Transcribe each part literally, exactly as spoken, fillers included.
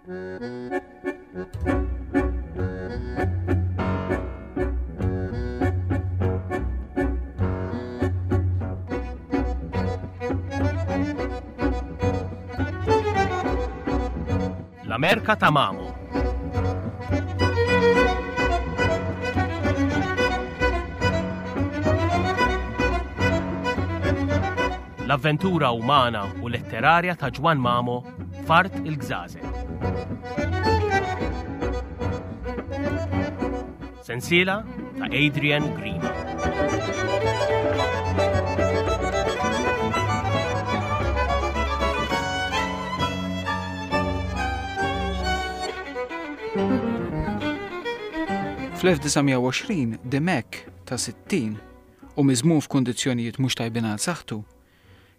L-Amerka ta' Mamo. L-avventura umana u letterarja ta' Ġwann Mamo f'Art il-Gżażel. Sensiela ta' Adrian Grima. Fl-elf disa' mija u għoxrin, Dimech ta' sittin u miżmum f'kundizzjonijiet mhux tajbin għal saħħtu,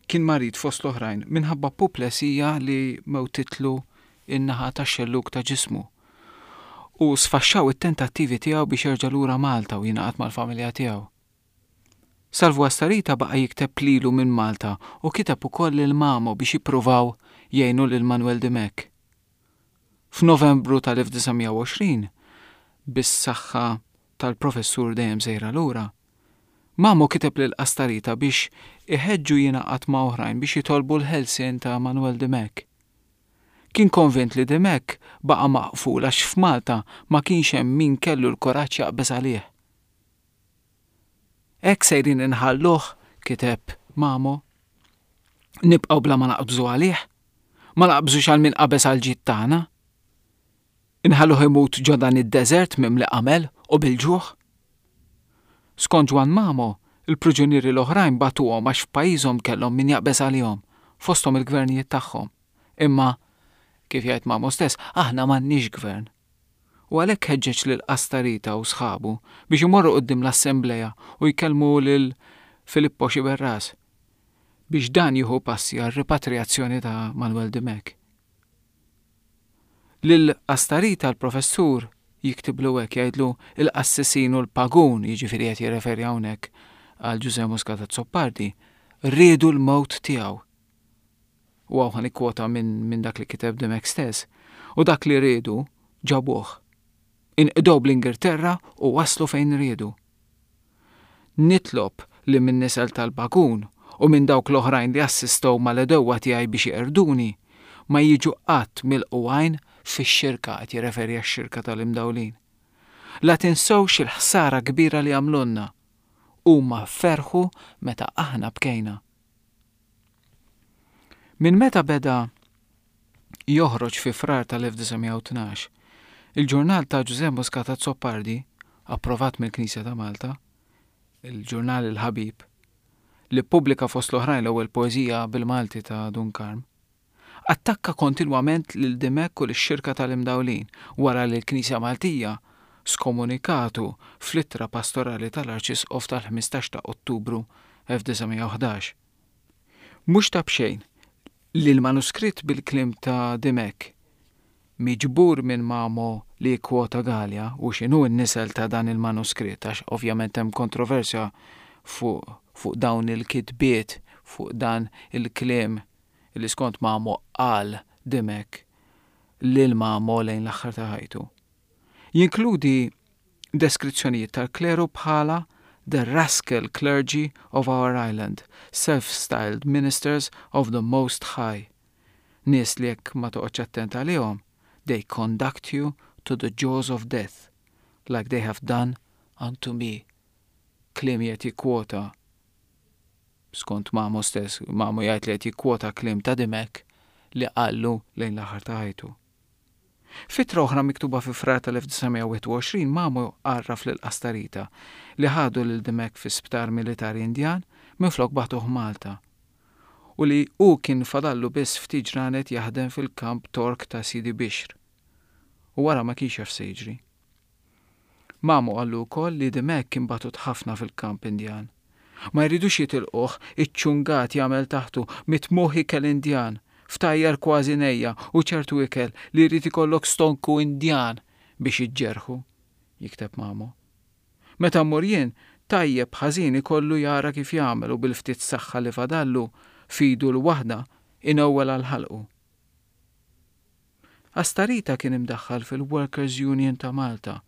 kien marid fost l-oħrajn minħabba puplesija li mewtitlu in-naħa tax-xellug ta' ġismu u sfaxxaw it-tentattivi tiegħu biex jerġa' lura Malta u jingħaqad mal-familja tiegħu. Salvu Astarita baqa' jikteb lilu minn Malta u kiteb ukoll lil Mamo biex jippruvaw jgħinu lil Manuel Dimech. F'Novembru tal-elf disa' mija u għoxrin, bis-saħħa tal-professur dejjem sejra lura, Mamo kiteb lil Astarita biex iħeġġu jingħaqad ma' oħrajn biex jitolbu l-ħelsien ta' Manuel Dimech. Kien konvint li Dimech baqa' maqful għax f'Malta ma kienx hemm min kellu l-kuraġġ jaqbeż għalih. Hekk sejrin inħalluh, kiteb Mamo, nibqgħu bla ma naqbżu għalih, ma naqbżux għal min qabeż għal ġid tagħna. Inħalluh imut ġo dan id-deżert mimli qamel u bil-ġuħ. Skont Ġwann Mamo, il-priġunieri l-oħrajn batuhom għax f'pajjiżhom kellhom min jaqbeż għalihom, fosthom il-gvernijiet tagħhom. Imma, kif jgħid Mamo stess, aħna m'għandniex gvern. U għalhekk ħeġġeġ lil Astarita u sħabu biex imorru quddiem l-assembleja u jkellmu lil Filippo Sciberras biex dan jieħu passi għal ripatrijazzjoni ta' Manuel Dimech. Lil Astarita l-professur jiktiblu hekk, jgħidlu il-qassisin u l-pagun, jiġifieri qed jirreferi hawnhekk għal Ġużè Muscat Azzopardi, riedu l-mewt tiegħu. U hawn ħa nikkwota minn, minn dak li kiteb Dimech stess. U dak li riedu ġabuh. Inqdew bl-Ingilterra u waslu fejn riedu. Nitlob li minn nisel tal-pagun u minn dawk l-oħrajn li assistow mal-edewwa tiegħi biex jeqrduni, ma jiġu qatt mill-qwajn fix-xirka, qed jirreferi għax-xirka tal-imdawlin. La tinsewx il-ħsara kbira li għamlulna. Huma ferħu meta aħna bkejna. Minn meta beda joħroġ fi Frar tal-elf disa' mija u tnax, il-ġurnal ta' Ġużè Muscat Azzopardi, approvat mill-Knisja ta' Malta, il-ġurnal Il-Ħabib, li ppubblika fost l-oħrajn l-ewwel poeżija bil-Malti ta' Dun Karm, attakka kontinwament lil Dimech u lix-xirka tal-imdawlin wara li l-Knisja Maltija skomunikatu fl-ittra pastorali tal-Arċisqof tal-ħmistax ta' Ottubru elf disa' mija u ħdax. Mhux ta' b'xejn li l-manuskritt bil-kliem ta' Dimech miġbur minn Mamo li kwota Galea u x'inhu n-nisel ta' dan il-manuskritt, għax ovvjament hemm kontroversja fuq, fuq dawn il-kitbiet, fuq dan il-kliem li skont Mamo qal Dimech lil Mamo lejn l-aħħar ta' ħajtu. Jinkludi deskrizzjonijiet tal-kleru bħala the rascal clergy of our island, self-styled ministers of the Most High. Nies li jekk ma toqgħodx attent għalihom, they conduct you to the jaws of death, like they have done unto me. Kliem qed jikkwota skont Mamo stess, Mamo jgħid li qed jikkwota kliem ta' Dimech li qallu lejn l-aħħar ta' ħajtu. Fitra oħra miktuba fi Frar tal-elf disa' mija u wieħed u għoxrin, Mamo għarraf lil Astarita li ħadu lil Dimech fi sptar militari Indjan minflok bagħtuh Malta u li hu kien fadallu biss ftit ġranet jaħdem fil-kamp Tork ta' Sidi Bixr. U wara ma kienx jaf se jiġri. Mamo qallu wkoll li Dimech kien batut ħafna fil-kamp Indjan. Ma jridux jitilquh, iċ-ċungat jagħmel taħtu mitmuħ ikel Indjan, ftajjar kważi nejja u ċertu ikel li jrid ikollok stonku Indjan biex iġġerħu, jikteb Mamo. Meta mmur jien, tajjeb ħażin ikollu jara kif jagħmel u bil-ftit saħħa li fadallu fidu l-waħda inewwel għal ħalqu. Astarita kien imdaħħal fil-Workers' Union ta' Malta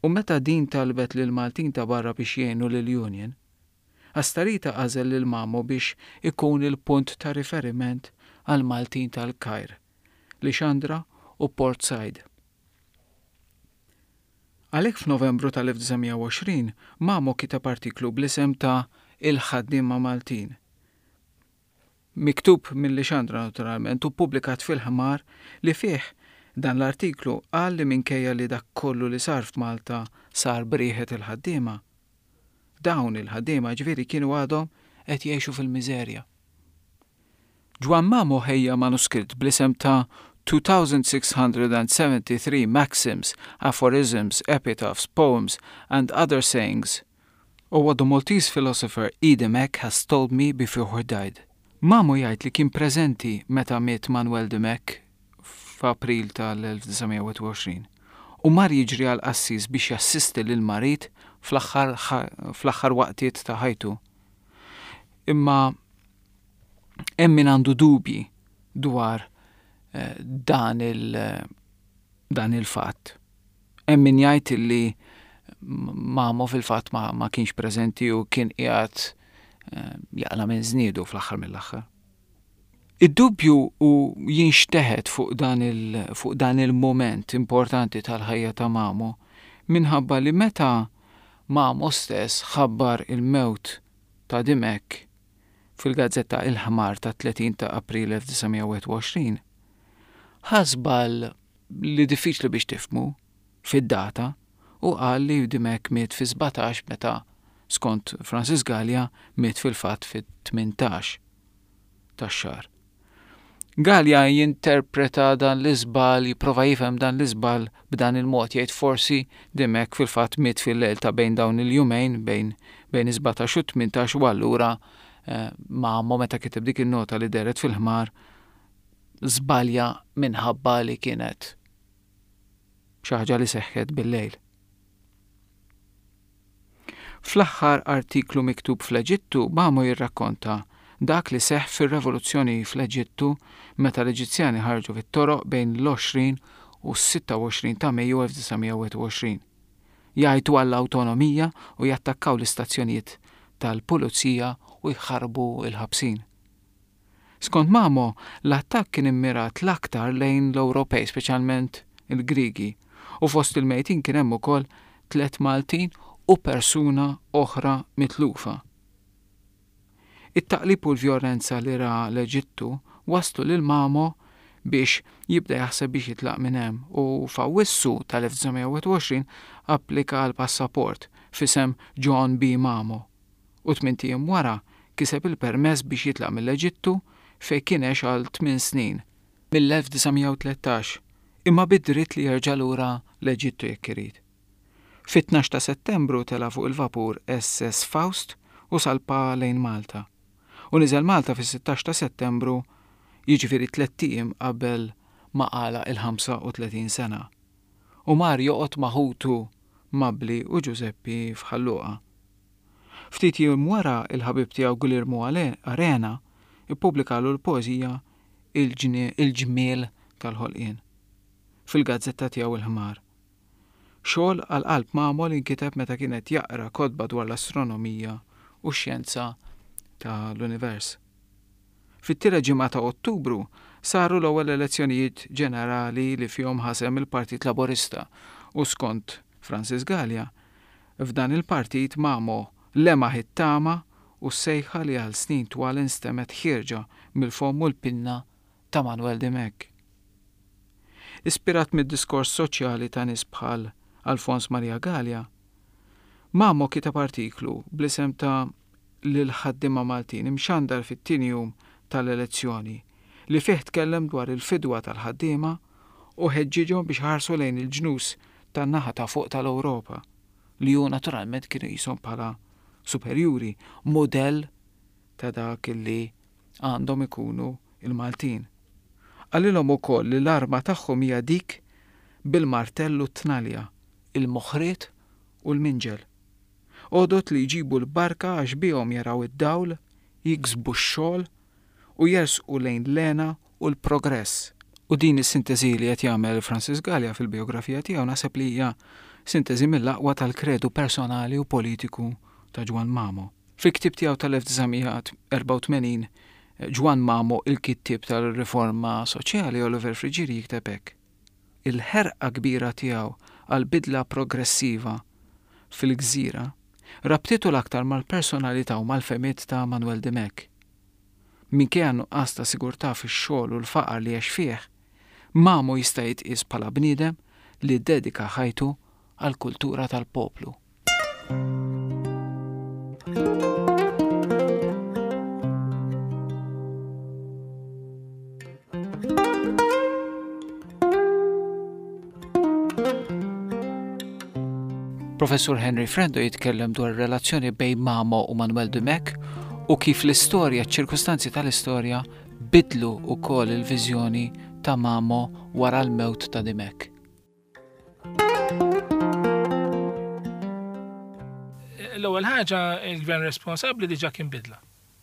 u meta din talbet lil Maltin ta' barra biex jgħinu lill-Union, Astarita għażel lil Mamo biex ikun il-punt ta' riferiment għal Maltin tal-Kajr, Lixandra u Port Said. Għalhekk f'Novembru tal-elf disa' mija u għoxrin Mamo kiteb artiklu bl-isem ta' Il-Ħaddiema Maltin. Miktub minn Lixandra naturalment u ppubblikat fil-Ħmar li fih dan l-artiklu qal li minkejja li dak kollu li sar f'Malta sar b'rieħet il-ħaddiema, dawn il-ħaddiema ġifieri kienu għadhom qed jgħixu fil-miżerja. Ġwann Mamo ħejja manuskritt bl-isem ta' two thousand six hundred and seventy-three Maxims, Aphorisms, Epitaphs, Poems and Other Sayings of what the Maltese philosopher E. Dimech has told me before he died. Mamo jgħid li kien preżenti meta miet Manuel Dimech f'April tal-elf disa' mija u wieħed u għoxrin u mar jiġri għal qassis biex jassisti lil marid fl-aħħar ħa-, fl-aħħar waqtiet ta' ħajtu. Imma hemm min għandu dubji dwar, eh, dan il-, dan il-fatt. Hemm min jgħid li Mamo fil-fatt ma, ma kienx preżenti u kien qiegħed, eh, jaqla' minn żniedu fl-aħħar mill-aħħar. Id-dubju u jinxteħet fuq dan il-, fuq dan il-moment importanti tal-ħajja ta' Mamo minħabba li meta Mamo stess ħabbar il-mewt ta' Dimech fil-gazzetta Il-Ħmar ta' tletin ta' April elf disa' mija u wieħed u għoxrin, ħasbal li diffiċli biex tifhmu fid-data u qal li Dimech miet fi sbatax meta skont Francis Galea miet fil-fatt fit-tmintax tax-xahar. Galea jinterpreta dan l-iżbal, jipprova jifhem dan l-iżbal b'dan il-mod, jgħid forsi Dimech fil-fatt miet fil-lejl ta' bejn dawn il-jumejn, bejn, bejn sbatax u tmintax, u allura, eh, Mamo meta kiteb dik in-nota li dehret fil-ħmar żbalja minħabba li kienet xi ħaġa li seħħet bil-lejl. Fl-aħħar artiklu miktub fl-Eġittu, Mamo jirrakkonta dak li seħħ fir-revoluzzjoni fl-Eġittu meta l-Eġizzjani ħarġu fit-toroq bejn l-għoxrin u s-sitta u għoxrin ta' Mejju elf disa' mija u wieħed u għoxrin. Jgħajtu għall-awtonomija u jattakkaw l-istazzjonijiet tal-pulizija u jħarbu l-ħabsin. Skont Mamo, l-attakk kien immirat l-aktar lejn l-Ewropej, speċjalment il-Grigi, u fost il-mejtin kien hemm ukoll tliet Maltin u persuna oħra mitlufa. It-taqlib u l-vjolenza li ra l-Eġittu waslu lil Mamo biex jibda jaħseb biex jitlaq minn hemm u f'Awwissu tal-elf disa' mija u wieħed u għoxrin applika għal passaport f'isem John B. Mamo u tmint ijiem wara kiseb il-permess biex jitlaq mill-Eġittu fejn kien għex għal tmien snin mill-elf disa' mija u tlettax, imma bid-dritt li jerġa' lura l-Eġittu jekk irid. Fit-tnax ta' Settembru tela' fuq il-vapur S S Faust u salpa lejn Malta. U niżel Malta fis-sittax ta' Settembru, jiġifieri tliet ijiem qabel ma għalaq il-ħamsa u tletin sena. U mar joqgħod ma' ħutu Mabli u Giuseppi f'Ħal Luqa. Ftit jiem wara il-ħabib tiegħu Guillermo Ale-, Arena ippubblikalu l-poeżija Il-ġnie-, Il-ġmiel tal-ħolqien fil-gazzetta tiegħu Il-Ħmar. Xogħol għal qalb Mamo li nkiteb meta kienet jaqra kotba dwar l-astronomija u x-xjenza tal-univers. Fit-tielet ġimgħa ta' Ottubru saru l-ewwel elezzjonijiet ġenerali li fihom ħasem il-Partit Laburista u skont Francis Galea, f'dan il-partit Mamo lemaħ it-tama u s-sejħa li għal snin twal instemmet ħierġa mill-fomm u l-pinna ta' Manuel Dimech. Ispirat mid-diskors soċjali ta' nies bħal Alfons Maria Galea, Mamo kiteb artiklu bl-isem ta' Lil ħaddiema Maltin imxandar fit-tieni jum tal-elezzjoni li fih tkellem dwar il-fidwa tal-ħaddiema u ħeġġiġhom biex ħarsu lejn il-ġnus tan-naħa ta' fuq tal-Ewropa li hu naturalment kienu qishom bħala superjuri, mudell ta' dak li għandhom ikunu il-Maltin. Qalilhom ukoll li l-arma tagħhom hija dik bil-martellu t-tnalja, il-moħriet u l-minġel. Għodot li jġibu l-barka għax bihom jaraw id-dawl, jiksbu x-xogħol u jersqu lejn l-hena u l-progress. U din is-sintesi li qed jagħmel Francis Galea fil-biografija tiegħu naħseb li hija sintesi mill-aqwa tal-kredu personali u politiku ta' Ġwann Mamo. Fil-ktieb tiegħu tal-elf disa' mija erbgħa u tmenin, Ġwann Mamo, il-kittieb tal-riforma soċjali, Oliver Friggieri jikteb hekk. Il-ħerqa kbira tiegħu għal bidla progressiva fil-gżira rabtitu l-aktar mal-personalità u mal-fehmiet ta' Manuel Dimech. Minkejja nuqqas ta' sigurtà fix-xogħol u l-faqar li għex fih, Mamo jista' jitqies bħala bniedem li ddedika ħajtu għall-kultura tal-poplu. Professur Henry Frendo jitkellem dwar relazzjoni bejn Mamo u Manuel Dimech u kif l-istorja, ċ-ċirkustanzi tal-istorja bidlu wkoll il-viżjoni ta' Mamo wara l-mewt ta' Dimech. L-ewwel ħaġa, il-gvern responsabbli diġà kien bidla,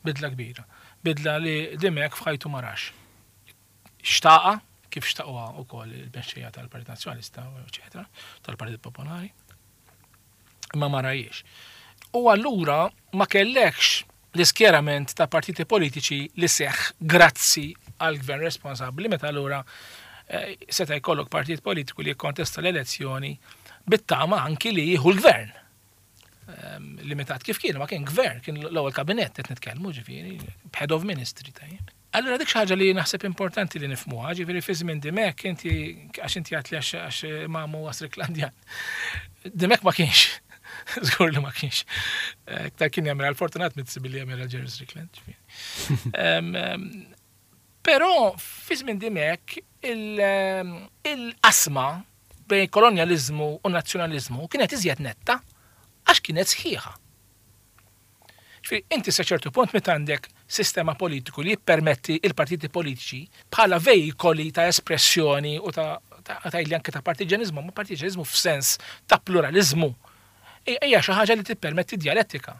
bidla kbira, bidla li Dimech f'ħajtu ma rax. Xtaqa, kif xtaquha wkoll il-mexxejja tal-Partit Nazzjonalista, eċetera, tal-Partit Popolari, imma ma rajiex. U allura ma kellekx l-iskjerament ta' partiti politiċi li seħħ grazzi għal gvern responsabbli, meta allura, eh, seta' jkollok partit politiku li jikkontesta l-elezzjoni bit-tama anki li jieħu l-gvern. Ehm, limitat kif kien, ma kien gvern, kien l-ewwel kabinett qed nitkellmu, ġifieri, head of ministry tajjeb. Allura dik xi ħaġa li naħseb importanti li nifhmuha, ġifieri fi żmien Dimech inti għax inti għedt li għax, għax Mamo huwa Stricklandian. Dimech ma kienx. Żgur li ma kienx. Eh, iktar kien jagħmel għal Fortunat Mizzi billi jagħmel għal Jerry Strickland, ġifieri. Ehm, ehm, però fi żmien Dimech il-, ehm, il-qasma bejn kolonjaliżmu u nazzjonaliżmu kienet iżjed netta għax kienet sħiħa. Ġifieri, inti sa ċertu punt meta għandek sistema politiku li jippermetti il-partiti politiċi bħala vejkoli ta' espressjoni u ta', ta', ta' li anke ta' partiġanizmu, ma partiġanizmu f'sens ta' pluralizmu, hija xi ħaġa li tippermetti dialettika,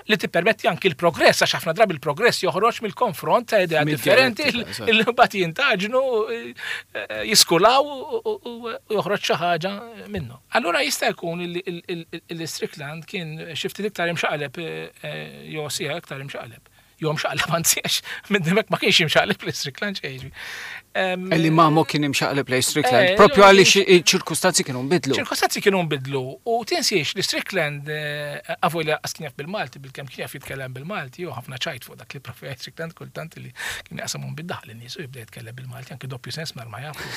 li tippermetti anki l-progress, għax ħafna drabi l-progress joħroġ mill-konfront ta' idea Mid-dialettika, differenti eżatt. li mbagħad jintaġnu, eh, jiskulaw u, u, u, u joħroġ xi ħaġa minnu. Allura jista' jkun il-, il-, il-, il-Strickland kien xi ftit iktar imxaqleb, eh, eh, jew sija iktar imxaqleb. Jew imxaqleb anzi, għax minn hemmhekk ma kienx imxaqleb lejn Strickland xejn. Em, Illi Mamo kien imxaqleb lejn Strickland, Eh, propju jew għaliex kien iċ-ċirkustanzi kienu nbidlu. ċirkustanzi kienu nbidlu u tinsiex li Strickland, eh, għavu li għas kien jaf bil-Malti, bil-kemm kien jaf jitkellem bil-Malti, jew ħafna ċajt fuq dak li propju għajt Strickland kultant li kien jaqsamhom bid-daħal in-nies u jibda jitkellem bil-Malti, anke doppju sens mar ma jafu.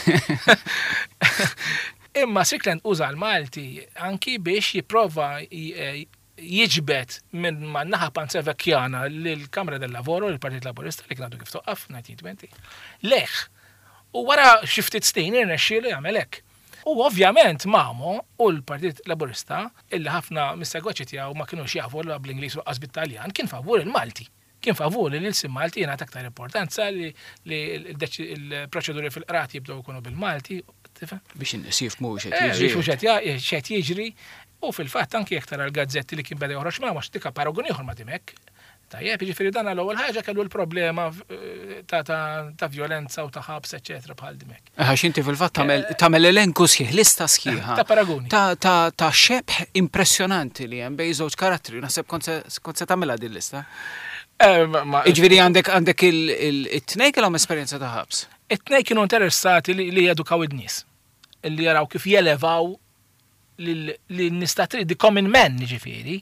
Imma Strickland uża l-Malti anki biex jipprova j-, eh, jiġbed minn man-naħa Panzevecchiana lill-Kamra del Lavoro, lill-Partit Laburista li kien għadu kif toqqaf nineteen twenty. Leħ. U wara xi ftit snin irnexxielu jagħmel hekk. U ovvjament Mamo u l-Partit Laburista, illi ħafna mis-segwaċi tiegħu ma kinux jafu la bl-Ingliż u lanqas bit-Taljan, kien favur il-Malti. Kien favur li l-ilsien Malti jingħata aktar importanza, li, li il-deċi-, il-proċeduri fil-qrati jibdew ikunu bil-Malti, tifhem? Biex in-nies jifhmu x'qed Eh, jiġri. jifhmu x'qed ja-, x'qed jiġri. U fil-fatt anki jekk tara l-gazzetti li kien beda joħroġ ma' għax tika paragun ieħor ma' Dimech. Tajjeb, jiġifieri dan l-ewwel ħaġa kellu l-problema, eh, ta', ta', ta' violenza u ta' ħabs, eċetera, bħal Dimech. Għax inti fil-fatt tagħmel, Eh, tagħmel elenku sħiħ, lista sħiħa. Ta' paragoni. Ta', ta', ta' xebh impressjonanti li hemm bejn żewġ karattri. Naħseb kont se, kont se tagħmilha din lista. Eh, ma-, ma- Jiġifieri għandek, għandek il-, il-, it-tnejn kellhom esperjenza ta' ħabs. It-tnejn kienu interessati li, li jedukaw id-nies, li jaraw kif jelevaw lil-nies ta' triq, the common man, ġifieri,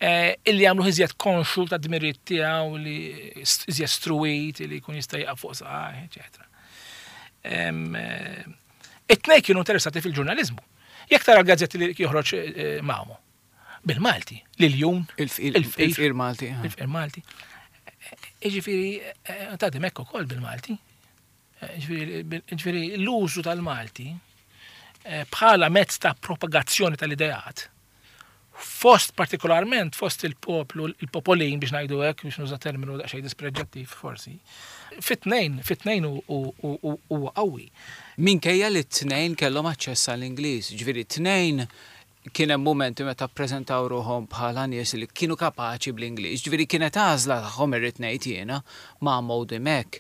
eh, illi jagħmlu iżjed konxu ta' dmirijiet tiegħu, li st-, iżjed struwit, li jkun jista' jaqaf fuq saqajh, eċetera. Em, eh, it-tnejn kienu interessati fil-ġurnaliżmu. Jekk tara l-gazzetti li joħroġ, eh, Mamo, bil-Malti, l-Iljun, Il-fqir, il-fqir, il-fqir Malti, ah. il-fqir Malti. Jiġifieri, eh, ta' Dimech ukoll bil-Malti. Eh, jiġifieri, bil-, jiġifieri l-użu tal-Malti, eh, bħala mezz ta' propagazzjoni tal-ideat, fost partikolarment fost il-poplu, il-popolin biex ngħidu hekk, biex nuża terminu daqsxejn dispreġġattiv forsi, fit-tnejn, fit-tnejn u, u, u, u, huwa qawwi. Minkejja li t-tnejn kellhom aċċess għall-Ingliż, ġifieri t-tnejn kien hemm mumenti meta ppreżentaw ruħhom bħala nies li kienu kapaċi bl-Ingliż, ġifieri kienet għażla tagħhom irrid ngħid jiena ma' Mamo Dimech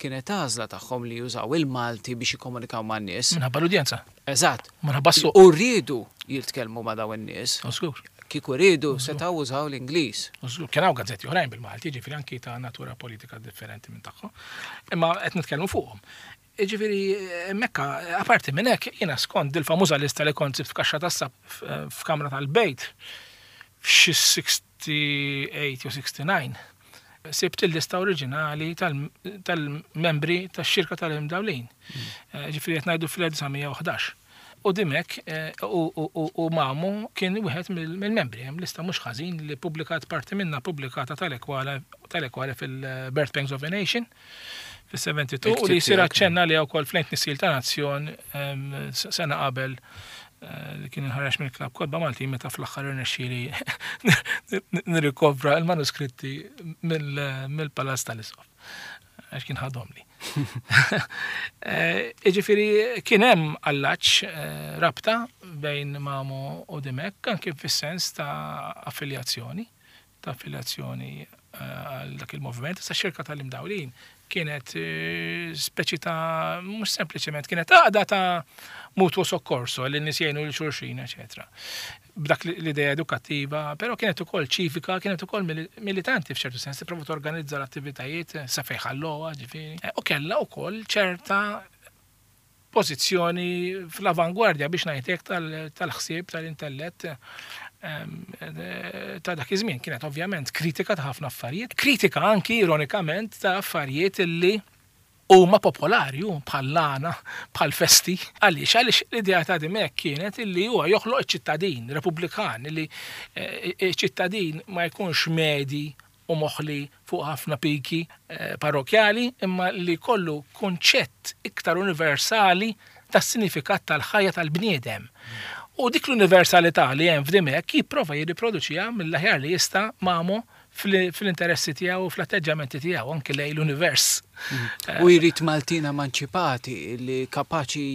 Kienet għażla tagħhom li jużaw il-Malti biex jikkomunikaw man-nies. Minħabba l-udjenza. Eżatt. Minħabba s-suq. U rridu jitkellmu ma' dawn in-nies. Żgur. Kieku riedu setgħu użaw l-Ingliż. Żgur, kien hawn gazzetti oħrajn bil-Malti, ġifieri anki ta' natura politika differenti minn tagħhom. Imma qed nitkellmu fuqhom. Ġifieri hemmhekk, apparti minn hekk, jiena skont il-famuża lista li kont sibt f'kaxxa tas-sab f'kamra tal-bejt f'xi sixty-eight jew sixty-nine, sibt il-lista oriġinali tal-membri tax-xirka tal-Imdawlin. Ġifieri qed ngħidu fl-elf disa' mija u ħdax. U Dimech u Mamo kien wieħed mill-membri. Hemm lista mhux ħażin li publikat parti minna pubblikata tal-Ekwale fil-Birth Pangs of a Nation fis-seventy-two u li jsir aċċenna li wkoll fl-Ent Nissil ta' Nazzjon sena qabel li kien inħareġ mill-Klabb Kotba Malti meta fl-aħħar irnexxieli nirrikovra l-manuskritti mill-Palazz tal-Isqof għax kien ħadhom li. Jiġifieri kien hemm allaċ rabta bejn Mamo u Dimech anke fis-sens ta' affiljazzjoni, ta' affiljazzjoni għal dak il-moviment. Issa x-xirka tal-Imdawlin kienet speċi ta' mhux sempliċement kienet għaqda ta' mutuo soccorso li n-nies jgħinu lil xulxin, eċetera. B'dak l-idea edukattiva, però kienet ukoll ċivika, kienet ukoll militanti f'ċertu sens, tipprova torganizza l-attivitajiet sa fejn ħalluha, ġifieri. U kellha wkoll ċerta pożizzjoni fl-avangwardja biex ngħidlek tal-ħsieb tal-intellett ta' dak iż-żmien. Kienet ovvjament kritika ta' ħafna affarijiet, kritika anki ironikament ta' affarijiet illi huma popolari, hu bħal lana, bħal festi. Għaliex? Għaliex l-idea ta' Dimech kienet illi huwa joħloq iċ-ċittadin Repubblikan, illi iċ-ċittadin ma jkunx medi u moħli fuq ħafna piki parrokjali, imma li kollu konċett iktar universali tas-sinifikat tal-ħajja tal-bniedem. U dik l-universalità li hemm f'Dimech jipprova jirriproduċiha mill-aħjar li jista' Mamo fl-interessi tiegħu u fl-atteġġjamenti tiegħu anke lejn l-univers. Mm. U jrid Maltin emanċipati li kapaċi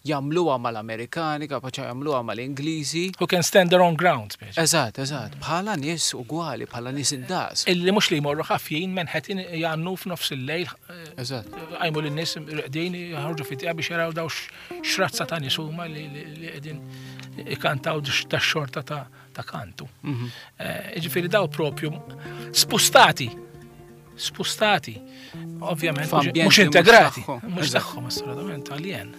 jagħmluha mal-Amerikani, kapaċi jagħmluha mal-Ingliżi. Who can stand their own ground, speċi. Eżatt, eżatt. Bħala nies ugwali, bħala nies indaqs. Illi mhux li jmorru ħafjin Manhattan jgħannu f'nofs il-lejl. Eżatt. Għajmu lin-nies reqdin jħorġu fit-tieqa biex jaraw daw x'razza ta' nies huma li qegħdin ikantaw ta' xorta ta' kantu. Mhm. Ġifieri daw propju spustati. Spustati. Ovvjament, F'ambjenti mhux integrati. mhux tagħhom. Mhux tagħhom assolutament, alien.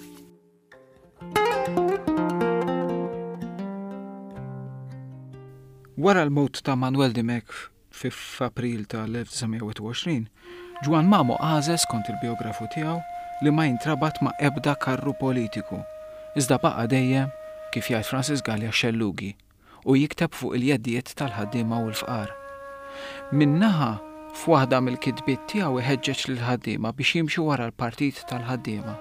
Wara l-mewt ta' Manuel Dimech fi f'April tal-elf disa' mija u għoxrin, Ġwann Mamo għażel skont il-biografu tiegħu li ma jintrabat ma' ebda karru politiku, iżda baqa' dejjem, kif jgħid Francis Galea, xellugi u jikteb fuq il-jeddijiet tal-ħaddiema u l-fqar. Minnaħa f'waħda mill-kitbiet tiegħu iħeġġeġ lill-ħaddiema biex jimxu wara l-partit tal-ħaddiema.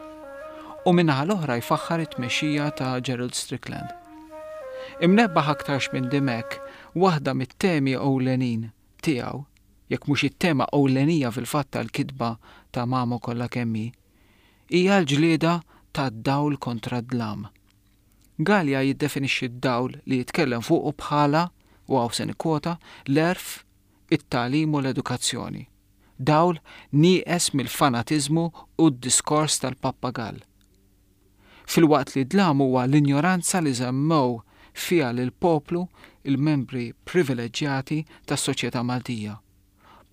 U minnaħa l-oħra jfaħħar it-tmexxija ta' Gerald Strickland. Imnebbaħ aktarx minn Dimech, waħda mit-temi ewlenin tiegħu, jekk mhux it-tema ewlenija fil-fatt tal-kitba ta' Mamo kollha kemm hi, hija l-ġlieda tad-dawl kontra d-dlam. Galea jiddefinixxi d-dawl li jitkellem fuqu bħala, u hawn se nikkwota, l-għerf, it-tagħlim u l-edukazzjoni. Dawl nieqes mill-fanatiżmu u d-diskors tal-pappagall. Filwaqt li dlam huwa l-injoranza li żammew fiha lil poplu il-membri privileġġjati tas-soċjetà Maltija.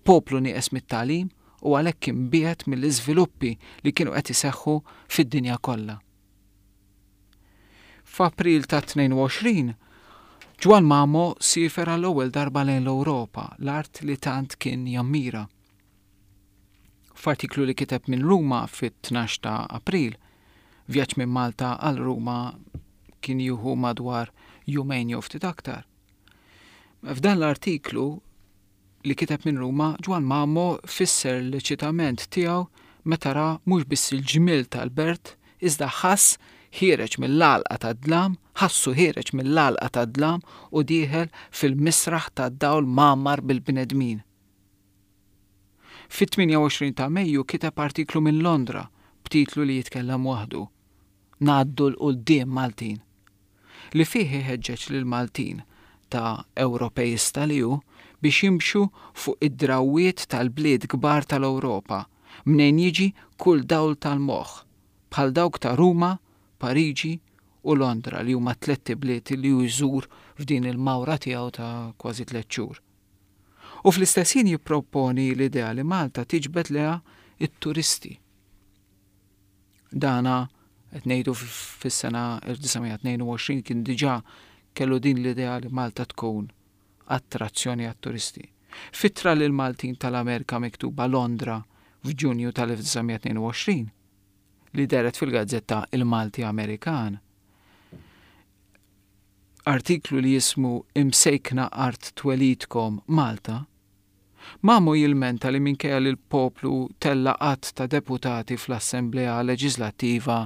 Poplu nieqes mit-tagħlim u għalhekk imbiegħed mill-iżviluppi li kienu qed iseħħu fid-dinja kollha. F'April ta' tnejn u għoxrin, Ġwann Mamo siefer għall-ewwel darba lejn l-Ewropa, l-art li tant kien jammira. F'artiklu li kiteb minn Ruma fit-tnax ta' April, vjaġġ minn Malta għal Ruma kien jieħu madwar jumejn jew ftit aktar. F'dan l-artiklu li kiteb minn Ruma, Ġwann Mamo fisser l-eċitament tiegħu meta ra mhux biss il-ġmiel tal-bert, iżda ħass ħiereġ mill-għalqa tad-dlam, ħassu ħiereġ mill-għalqa tad-dlam u dieħel fil-misraħ tad-dawl mgħammar bil-bnedmin. Fit-tmienja u għoxrin ta' Mejju kiteb artiklu minn Londra b'titlu li jitkellem waħdu, Ngħaddu l-quddiem Maltin, li fih iħeġġeġ lil Maltin ta' Ewropejista li hu biex jimxu fuq id-drawwiet tal-bliet kbar tal-Ewropa mnejn jiġi kull dawl tal-moħħ, bħal dawk ta' Ruma, Pariġi u Londra li huma tlett ibliet li hu jżur f'din il-mawra tiegħu ta' kważi tliet xhur. U fl-istess ħin jipproponi l-idea li Malta tiġbed lejha it-turisti. Dana qed ngħidu fis-sena elf disa' mija tnejn u għoxrin kien diġà kellu din l-idea li Malta tkun attrazzjoni għat-turisti. F'ittra lil Maltin tal-Amerika miktuba Londra f'Ġunju tal-elf disa' mija tnejn u għoxrin, li dehret fil-gazzetta Il-Malti Amerikan, artiklu li jismu Imsejkna Art Twelidkom Malta, Mamo jilmenta li minkejja li l-poplu tella għadd ta' deputati fl-Assemblea Leġislattiva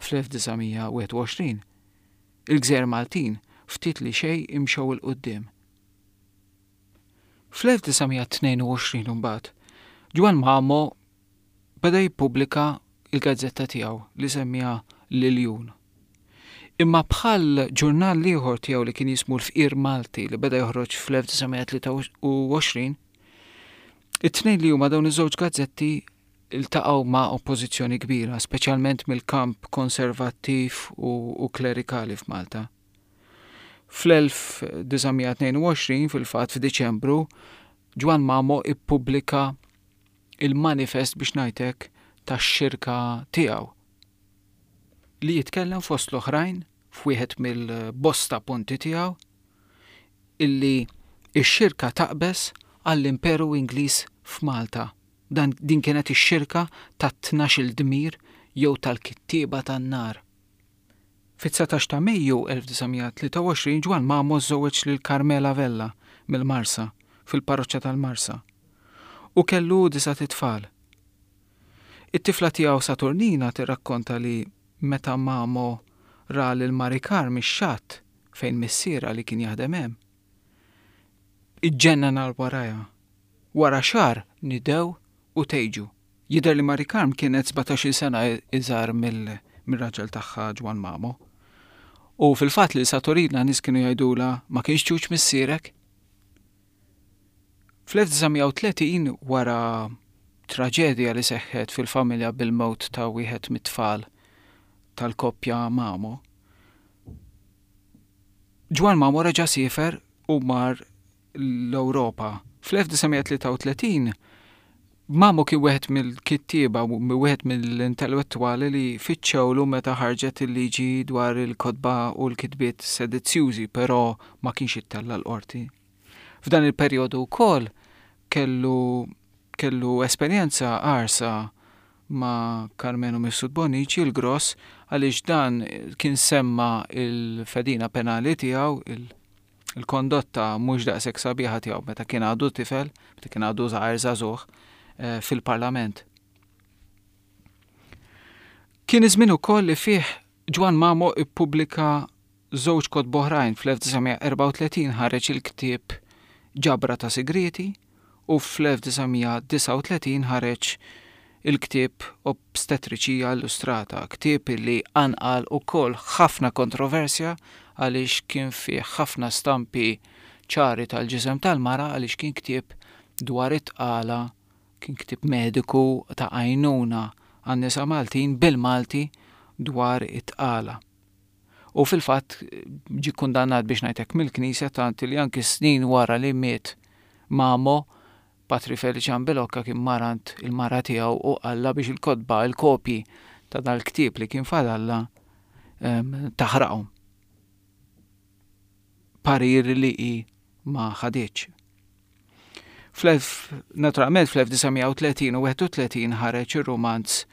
fl-elf disa' mija wieħed u għoxrin, il-Gżejjer Maltin ftit li xejn imxew 'il quddiem. Fl-elf disa' mija tnejn u għoxrin imbagħad, Ġwann Mamo beda jippubblika il-gazzetta tiegħu li semmija L-Iljun. Imma bħal ġurnal ieħor tiegħu li kien jismu L-Fqir Malti li beda joħroġ fl-elf disa' mija tlieta u għoxrin, it-tnejn li huma dawn iż-żewġ gazzetti iltaqgħu ma' oppożizzjoni kbira, speċjalment mill-kamp konservattiv u, u klerikali f'Malta. Fl-elf disa' mija tnejn u għoxrin, fil-fatt f'Diċembru, Ġwann Mamo ippubblika il-manifest biex ngħidlek tax-xirka tiegħu li jitkellem fost l-oħrajn f'wieħed mill-bosta punti tiegħu illi x-xirka taqbeż għall-Imperu Ingliż f'Malta. Dan din kienet ix-xirka tat-tnax-il dmir jew tal-kittieba tan-nar. Fit-dsatax ta' Mejju elf disa' mija tlieta u għoxrin Ġwann Mamo żżewweġ lil Carmela Vella mill-Marsa fil-parroċċa tal-Marsa u kellu disa' tfal. It-tifla tiegħu Saturnina tirrakkonta li meta Mamo ra lil Mari Carm ix-xatt fejn missiera li kien jaħdem hemm, iġġennan għal warajha. Wara xahar nidew u tejġu. Jidher li Mari Carm kienet sbatax-il sena iżgħar mill-, mir-raġel tagħha Ġwann Mamo. U fil-fatt li Saturnina nies kienu jgħidulha ma kienx ċuċ missierek. Fl-elf disa' mija u tletin wara traġedja li seħħet fil-familja bil-mewt ta' wieħed mit-tfal tal-koppja Mamo, Ġwann Mamo reġa' siefer u mar l-Ewropa. Fl-elf disa' mija tlieta u tletin Mamo kien wieħed mill-kittieba u wieħed mill-intellettwali li fittxewlu meta ħarġet il-liġi dwar il-kotba u l-kitbiet sedizzjużi, però ma kienx ittella' l-qorti. F'dan il-perjodu wkoll kellu, kellu esperjenza qarsa ma' Karmenu Mifsud Bonnici l-Gross, għaliex dan kien semma il-fedina penali tiegħu, il-, il-kondotta mhux daqshekk sabiħa tiegħu meta kien għadu tifel, meta kien għadu żgħir żagħżugħ, eh, fil-Parlament. Kien iż-żmien ukoll li fih Ġwann Mamo ippubblika żewġ kotba oħrajn. Fl-elf disa' mija erbgħa u tletin ħareġ il-ktieb Ġabra ta' Sigrieti u fl-elf disa' mija disgħa u tletin ħareġ il-ktieb Obstetriċija Illustrata, ktieb li anqal ukoll ħafna kontroversja għaliex kien fih ħafna stampi ċari tal-ġisem tal-mara, għaliex kien ktieb dwar it-tqala, kien ktieb mediku ta' għajnuna għan-nisa Maltin bil-Malti dwar it-tqala. U fil-fatt ġie kundannat biex ngħidlek mill-Knisja, tant li anki snin wara li miet Mamo, Patri Feliċan Bilocca kien marant il-mara tiegħu u qalla biex il-kotba, il-kopji ta' dal-ktieb li kien fadalla, em, taħraqhom. Parir li hi ma ħadietx. Fl-elf, naturalment fl-elf disa' mija u tletin u wieħed u tletin ħareġ ir-romanz,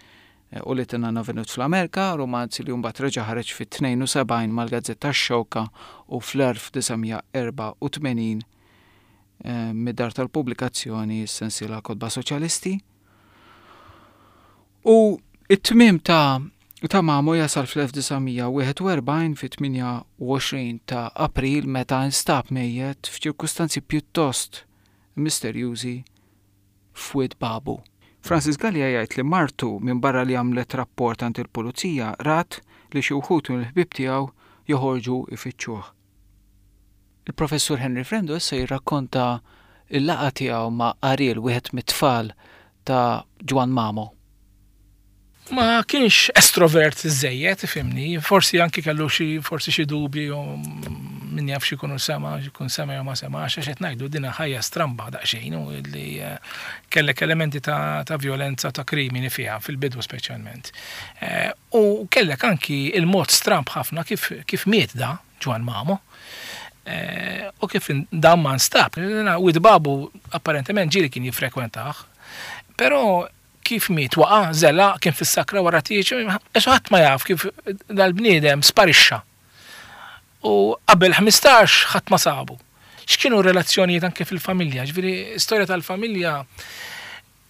eh, u li tinna venut fl-Amerika, romanz li mbagħad reġa' ħareġ fit-tnejn u sebgħin mal-Gazzetta X-Xewka u fl-elf disa' mija erbgħa u tmenin, eh, mid-dar tal-pubblikazzjoni s-sensiela Kotba Soċjalisti. U it-tmiem ta', ta' Mamo jasal fl-elf disa' mija wieħed u erbgħin fit-tmienja u għoxrin ta' April meta instab mejjet f'ċirkustanzi pjuttost misterjużi f'Wied Babu. Francis Galea jgħid li martu minn barra li għamlet rapport għand il-pulizija rat li xi wħud mill-ħbieb tiegħu joħorġu ifittxuh. Il-professur Henry Frendo issa jirrakkonta il-laqgħa tiegħu ma' Ariel, wieħed mit-tfal ta' Ġwann Mamo? Ma kienx estrovert żejjed, ifhimni, forsi anki kellu xi forsi xi dubji u min jaf xi jkunu sema, jkun sema jew ma sema, għax qed ngħidu dina ħajja stramba daqsxejn u li eh, kellek elementi ta', ta' violenza, ta' krimini fiha fil-bidu speċjalment. Eh, u kellek anki il-mod stramb ħafna kif, kif miet da Ġwann Mamo. Eh, u kif dan ma nstab. Wied Babu apparentement ġieli kien jiffrekwentah, però kif miet waqa' żela kien fis-sakra wara tieġ, ħadd ma jaf kif dal-bniedem sparixxa. U qabel ħmistax ħadd ma sabu. X'kienu relazzjonijiet anke fil-familja? Ġifieri, storja tal-familja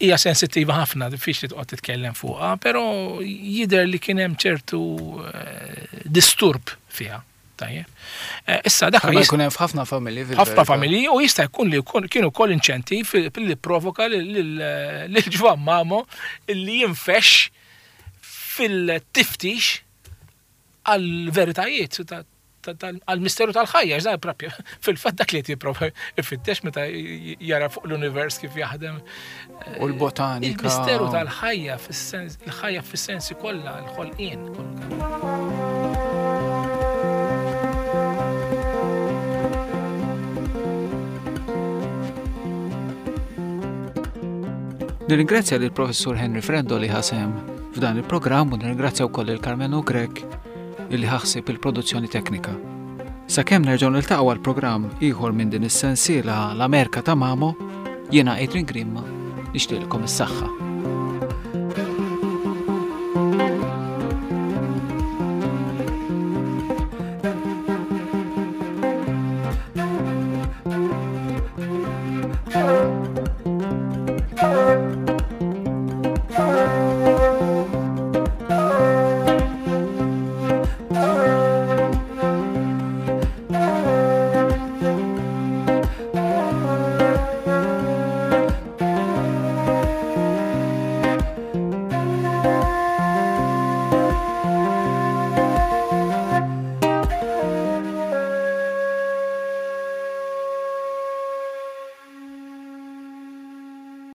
hija sensittiva ħafna, diffiċli toqgħod titkellem fuqha, però jidher li kien hemm ċertu eh, disturb fiha. Tajjeb. Eh, issa dak Bħalma jkun hemm f'ħafna familji fil-verità. Ħafna familji u jista' jkun li jkun kienu wkoll inċentiv li provoka lil Ġwann Mamo li jinfex fil-tiftix għal-veritajiet għal-misteru tal-ħajja, għax dan propju fil-fatt dak li qed jipprova jfittex meta jara fuq l-univers kif jaħdem. U l-botanika. Il-misteru tal-ħajja fis-sens, il-ħajja fis-sensi kollha, l-ħolqien kollu. Nirringrazzja lill Professur Henry Frendo li ħasem f'dan il-programm u nirringrazzja wkoll lil Karmenu Grech illi ħaħsib il-produzzjoni teknika. Sakemm nerġgħu niltaqgħu għal programm ieħor minn din is-sensiela l-Amerika ta' Mamo, jiena Adrian Grima nixtieqilkom is-saħħa.